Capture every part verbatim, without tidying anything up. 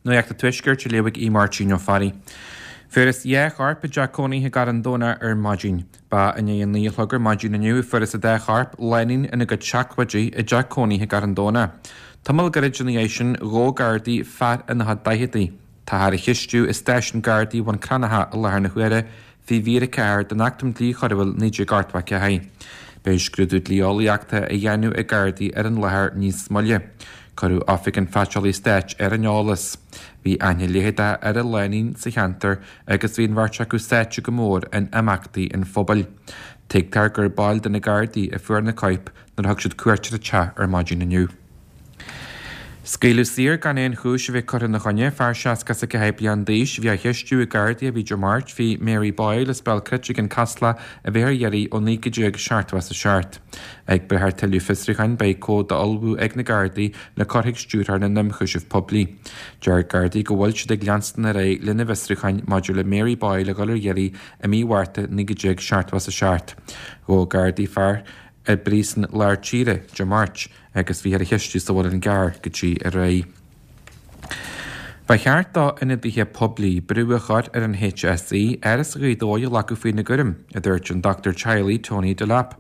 Nuacht an Tuaiscirt á léamh ag Aodh Máirtín Ó Fearraigh. Fuarthas dhá chorp i dteach cónaithe i gCarn Domhnach ar maidin. Ba i ndiaidh a naoi a chlog ar maidin inniu a fuarthas an dá chorp, lánúin ina gcuid seacláidí, i dteach cónaithe i gCarn Domhnach. Tamall gairid ina dhiaidh sin, ghabh Gardaí fear ina chuid daicheadaí. Táthar á cheistiú i stáisiún Gardaí Bhun Cranncha i láthair na huaire faoi mhír a ceathair den Acht um Dhlí Choiriúil naoi déag ochtó a ceathair. Beidh scrúdú dlí-eolaíochta á dhéanamh ag Gardaí ar an láthair níos moille. Cuireadh Oifig an Phaiteolaí Stáit ar an eolas. Bhí aithne leitheadach ar an lánúin sa cheantar agus bhí an bheirt acu sáite go mór in imeachtaí an phobail. Tuigtear gur baill de na Gardaí a fuair na coirp nuair a thug siad cuairt ar an teach ar maidin inniu. Scaoileadh saor gan aon chúis a bheith curtha ina choinne fear seasca is a ceathair bliain d'aois a bhí á cheistiú ag Gardaí a bhí Dé Máirt faoi Mary Boyle as Béal Cruite i gCionn Caslach a bheith ar iarraidh ó naoi déag seachtó is a seacht. Ag brath ar tuilleadh fiosrúcháin beidh comhad á ullmhú ag na Gardaí le cur chuig Stiúrthóir na nIonchúiseamh Poiblí. Deir Gardaí go bhfuil siad ag leanstan ar aghaidh lena bhfiosrúcháin maidir le Mary Boyle a dhul ar iarraidh i mí Mhárta naoi déag seachtó is a seacht. Ghabh Gardaí fear i bpríosún lár tíre Dé Máirt agus bhíothar á cheistiú sa Mhuileann gCearr go dtí aréir. Ba cheart do ionadaithe poiblí brú a chur ar an HSE Áras Ghaoth Dobhair a ghlacadh faoina gcúram, a dúirt an dochtúir teaghlaigh Tony Delap.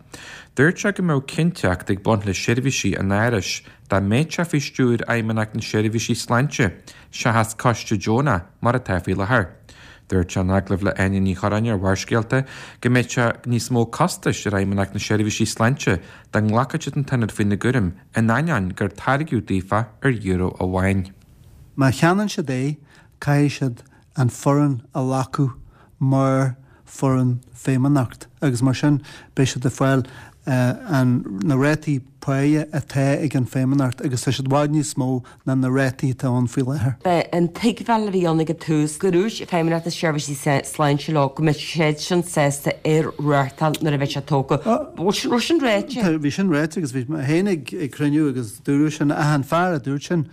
Dúirt sé go mbeadh cinnteacht ag baint le seirbhísí an Árais dá mbeadh sé faoi stiúir Fheidhmeannacht na Seirbhísí Sláinte, seachas coiste deonach mar atá faoi láthair. Dúirt sé in agallamh le Áine Ní Churráin ar Bharrscéalta go mbeadh sé níos mó costais ar Fheidhmeannacht na Seirbhísí Sláinte dá nglacfadh siad an t-ionad faoina gcúram in ainneoin gur tairgeadh daofa ar euro amháin. Má cheannaíonn siad é, caithfidh siad an foireann a ghlacadh mar foireann feidhmeannacht agus mar sin beidh siad ag fáil an na rátaí páighe atá ag an feidhmeannacht agus tá siad i bhfad níos mó ná na rátaí atá ann faoi láthair. B'é an tuigbheáil a bhí ann ag an tús go raibh Feidhmeannacht na Seirbhísí Sláinte leo go mbeadh siad sin sásta ar reáchtáil nuair a bheidh sé tógtha. Bhfuil sin raibh sin ráite? Bhí sin ráite agus bhí mé féin ag ag cruinniú agus dúradh sin ach an fear a dúirt sin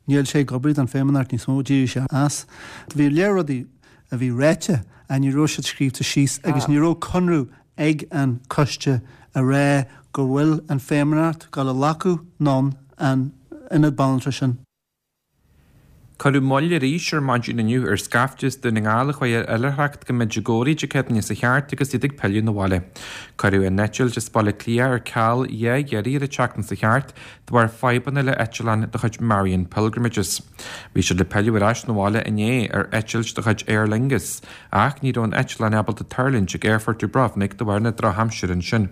níl sé ag obair don Feidhmeannacht níos mó, d'éirigh sé as. Bhí léir rudaí a bhí ráite ach ní raibh siad scríobhta síos agus ní raibh conradh ag an coiste a rá go bhfuil an Feidhmeannacht ag gabháil a ghlacadh anonn an ionad banaltra sin. Cuireadh moill arís ar maidin inniu ar scaifte as Dún na nGall a chuaigh ar oilithreacht go Medjugorje Dé Céadaoine sa cheart agus iad ag pilleadh na bhaile. Cuireadh a n-eitilt as Baile Átha Cliath ar ceal dhá iarraidh ar an tseachtain sa cheart de bharr fadhbanna le eitleán de chuid Marian Pilgrimages. Bhí siad le pilleadh ar ais na bhaile inné ar eitilt de chuid Aer Lingus, ach ní raibh an eitleán ábalta tuirlingt ag Aerfort Dubrovnik de bharr na drochaimsire ansin.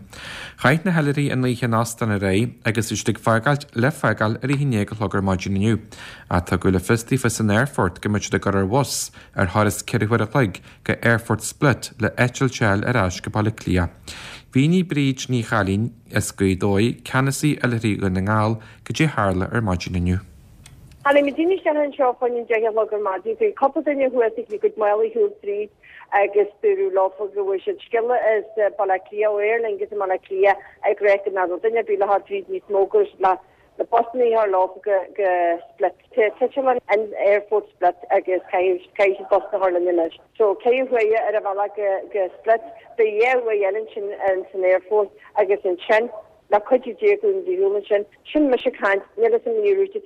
Chaith na hoilithrigh an oíche in óstán aréir agus bhí siad ag fágáilt le fágáil ar a haon déag a chlog ar maidin inniu. Ach tugadh le fios daofa san aerfort go mbeadh siad ag dul ar bhus ar thuras ceithre huaire a chloig go Aerfort Split le eitilt a fháil ar ais go Baile Átha Cliath. Mhínigh Bríd Ní Chailín as Gaoth Dobhair, ceannasaí Oilithrigh Dhún na nGall, goidé a tharla ar maidin inniu. Tháinig muid isteach anseo fá choinne deich a chlog ar maidin. Bhí cúpla duine thuas ag a gcuid málaí a shiúl tríd agus dúradh leofa go bhfuair siad scéala as Baile Átha Cliath ó Aer Lingus i mBaile Átha Cliath ag rá go nach raibh duine ar bith le theacht tríd níos mó go raibh siad le le busanna a chur leofa go go Split. Tá eitleán in Aerfort Split agus caithfidh caithfidh siad busanna a chur linn anois. So ceithre huaire ar an bhealach go go Split, beidh dhá uair eile ansin in san aerfort agus ansin le cuidiú Dé go bhfuil muid ar shiúl ansin. Sin mise ag caint, níl fhios agam ní raibh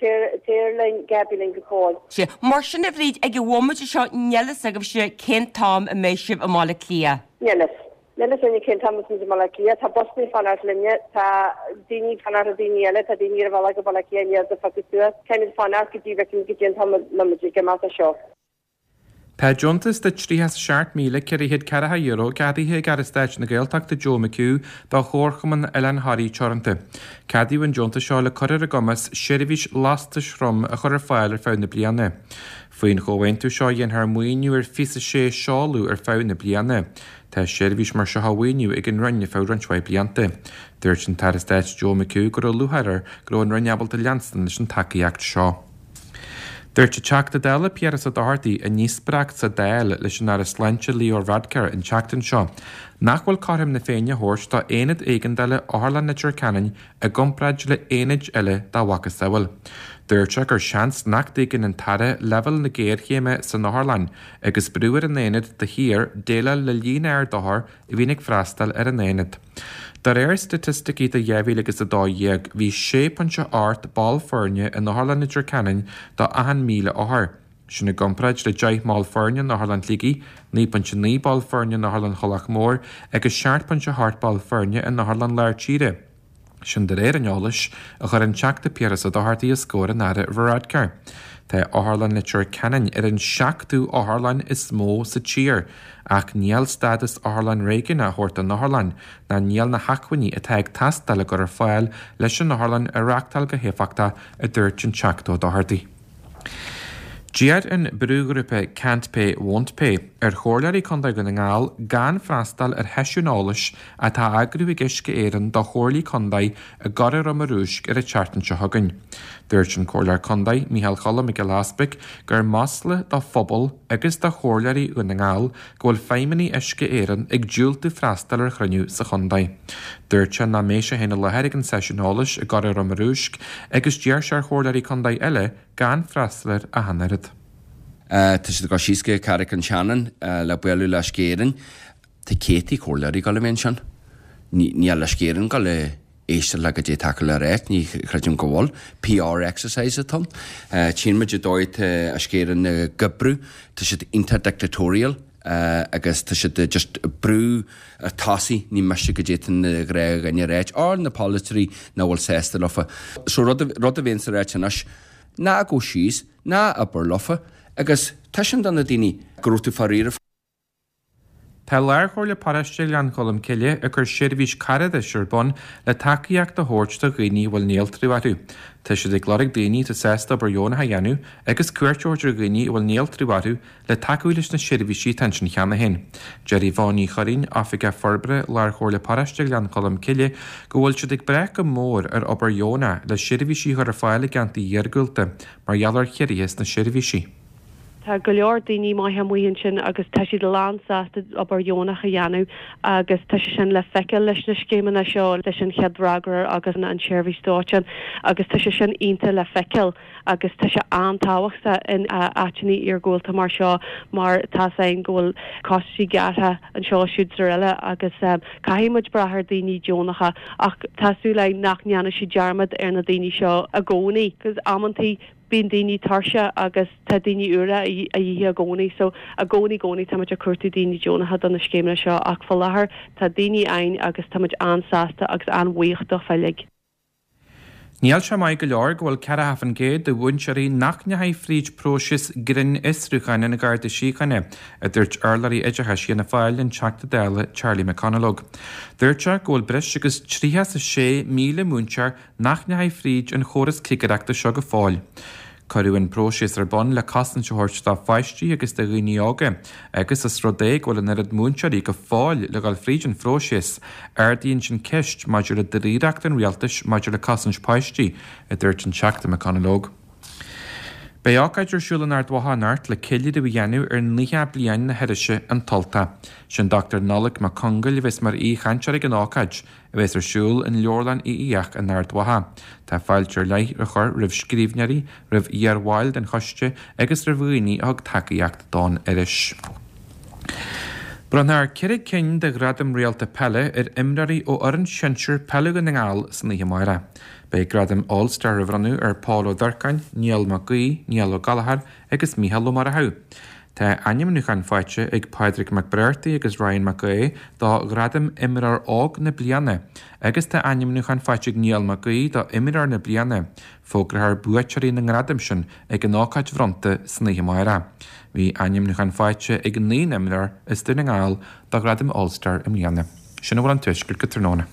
t-aer linn Gabi linn go fóill. Sea, mar sin a Bhríd, ag an bhomaite seo níl fhios agaibhse cén t-am a mbeidh sibh i mBaile Átha Cliath. Níl fhios. Níl fhios againne cén t-am a bheas muid i mBaile Átha Cliath. Tá busanna ag fanacht linne, tá daoine ag fanacht le daoine eile, tá daoine ar a bhealach go Baile Átha Cliath i ndiaidh a phiocadh suas. Caithfimid fanacht go dtí bhfeicfimid goidé an t-am a mbeidh muid ag imeacht as seo. Tá deontas de tríocha is a seacht míle ceithre chéad ceathracha euro ceadaithe ag Aire Stáit na Gaeltachta Joe McHugh do Chomharchumann Oileán Thoraí Teoranta. Ceadaíodh an deontas seo le cur ar a gcumas seirbhís lastais throm a chur ar fáil ar feadh na bliana. Faoin chomhaontú seo dhéanfar maoiniú ar fiche is a sé seoladh ar feadh na bliana. Tá seirbhís mar seo á mhaoiniú ag an Roinn ar feadh roinnt mhaith blianta. Dúirt an tAire Stáit Joe McHugh go raibh lúcháir air go raibh an Roinn ábalta leanstan leis an tacaíocht seo. Dúirt an Teachta Dála Piaras Ó Dochartaigh i ndíospóireacht sa Dáil leis an Aire Sláinte Leo Varadkar an tseachtain seo nach bhfuil cothrom na Féinne a thabhairt do aonad éigeandála Otharlann Leitir Ceanainn i gcomparáid le aonaid eile dá mhacasamhail. Dúirt sé gur seans nach dtuigeann an tAire leibhéal na géarchéime san otharlann agus brú ar an aonad de shíor déileáil le líon ard othar a bhíonn ag freastal ar an aonad. De réir staitisticí do dhá mhíle agus a dó dhéag, bhí sé pointe ocht ball foirne in Otharlann Leitir Ceanainn do achan míle othar. Sin i gcomparáid le deich mball foirne in Otharlann Shligigh, naoi bpointe naoi ball foirne in Otharlann Thulach Mhór agus seacht bpointe a hocht ball foirne in Otharlann Lár Tíre. Sin de réir an eolais a chuir an Teachta Piaras Ó Dochartaigh os comhair an Aire Varadkar. Tá Otharlann Leitir Ceanainn ar an seachtú otharlann is mó sa tír, ach níl stádas otharlann réigiúnach á thabhairt don otharlann, ná níl na hacmhainní atá ag teastáil á gcur ar fáil leis an otharlann a reáchtáil go héifeachtach, a dúirt an Teachta Ó Dochartaigh. D'iarr an brúghrúpa Can't Pay Won't Pay ar Chomhairleoirí Contae Dhún na nGall gan freastal ar sheisiún eolais atá á eagrú ag Uisce Éireann do Chomhairlí Contae i gCora Roma Rúisc ar an tseachtain seo chugainn. Dúirt an Comhairleoir Contae, Micheál Choilm Mac Giolla Easpaig, gur masla do phobal agus do Chomhairleoirí Dhún na nGall go bhfuil feidhmeannaigh Uisce Éireann ag diúltú freastal ar chruinniú sa chontae. Dúirt sé nach mbeidh sé féin i láthair ag an seisiún eolais i gCora Roma Rúisc agus d'iarr sé ar Chomhairleoirí Contae eile gan freastal air ach an oiread. Tá siad ag dul síos go Carraig an tSeanainn le bualadh le Uisce Éireann. Tá céadtaí comhairleoirí ag dul a bheith ansin. Níl Uisce Éireann ag dul a éisteacht le goidé atá acu le ráit, ní chreidim go bhfuil. PR exercise atá ann. Tchíonn muid an dóigh atá Uisce Éireann ag oibriú, tá siad iontach dictatorial agus tá siad just ag brú ar tosaigh, ní miste goidé atá na gnáthdhaoine a ráit, or na polaiteoirí nach bhfuil sásta leofa. So rud a bhíonns a ráit anois, Ná gabh síos, ná abair leofa, agus taispeáin do na daoine go raibh tú fá réir. Tá Lárchomhairle Paróiste Ghleann Cholm Cille ag cur seirbhís caradais ar bun le tacaíocht a thabhairt do dhaoine a bhfuil néaltrú orthu. Tá siad ag lorg daoine atá sásta obair dheonach a dhéanamh agus cuairt a thabhairt ar dhaoine a bhfuil néaltrú orthu le tacú leis na seirbhísí atá ansin cheana féin. Deir Yvonne Ní Churraoin, Oifigeach Forbartha Lárchomhairle Paróiste Ghleann Cholm Cille, go bhfuil siad ag brath go mór ar obair dheonach le seirbhísí a chur ar fáil i gceantair iargúlta mar gheall ar chiorruithe sna seirbhísí. Tá go leor daoine maithe amuigh ansin agus tá siad lánsásta obair dheonach a dhéanamh agus tá sé sin le feiceáil leis na scéimeanna seo, leis an Chéad Fhreagróir agus an tSeirbhís Dóiteáin agus tá sé sin iontach le feiceáil agus tá sé an-tábhachtach in áiteanna iargúlta mar seo mar tá 's againn go bhfuil costaisí gearrtha anseo siúd is araile agus caithfidh muid brath ar daoine deonacha ach tá súil againn nach ndéanfaidh siad dearmad ar na daoine seo i gcónaí 'cause amantaí bíonn daoine tuirseach agus tá daoine úra a dhíth i gcónaí so i gcónaí gcónaí tá muid ag cuartú daoine deonacha do na scéimeanna seo ach faoi láthair tá daoine againn agus tá muid an-sásta agus an-bhuíoch dófa uilig. Níl sé maith go leor go bhfuil ceathracha faoin gcéad de mhúinteoirí nach ndeachaigh fríd próiseas grinnfhiosrúcháin an Gharda Síochána, a dúirt urlabhraí oideachais Fhianna Fáil, an Teachta Dála Charlie McConalogue. Dúirt sé go bhfuil breis agus tríocha is a sé míle múinteoir nach ndeachaigh fríd an chóras cigireachta seo go fóill. Cuireadh an próiseas ar bun le cosaint a thabhairt do pháistí agus do dhaoine óga agus os rud é go bhfuil an oiread múinteoirí go fóill le dhul fríd an phróiseas, ardaíonn sin ceist maidir le dáiríreacht an rialtais maidir le cosaint páistí, a dúirt an Teachta McConalogue. Beidh ócáid ar siúl in Ard Mhacha anocht le ceiliúradh a dhéanamh ar naocha bliain na hirise An tUltach. Sin Dochtúir Nollaig Mac Congail a bheas mar aoichainteoir ag an ócáid, a bheas ar siúl in Leabharlann Uí Fhiaich in Ard Mhacha. Tá fáilte ar leith á chur roimh scríbhneoirí, roimh iar-bhaill den choiste agus roimh dhaoine a thug tacaíocht don iris. Bronnfar ceithre cinn de Ghradaim Réalta Peile ar imreoirí ó fhoireann shinsir peile Dhún na nGall san oíche amárach. Beidh Gradam All Star á bhronnadh ar Paul Ó Durcáin, Niall Mac Aoidh, Niall Ó Gallchóir agus Mícheál Ó Murchú. Tá ainmniúcháin faighte ag Pádraig Mac Briartaigh agus Ryan Mac Aoidh do Ghradam Imreoir Óg na Bliana agus tá ainmniúchán faighte ag Niall Mac Aoidh do Imreoir na Bliana. Fógrófar buaiteoirí na ngradam sin ag an ócáid bhronnta san oíche amárach. Bhí ainmniúchán faighte ag naoi n-imreoir as Dún na nGall do Ghradam All Star i mbliana. Sin a bhfuil ón Tuaisceart go tráthnóna.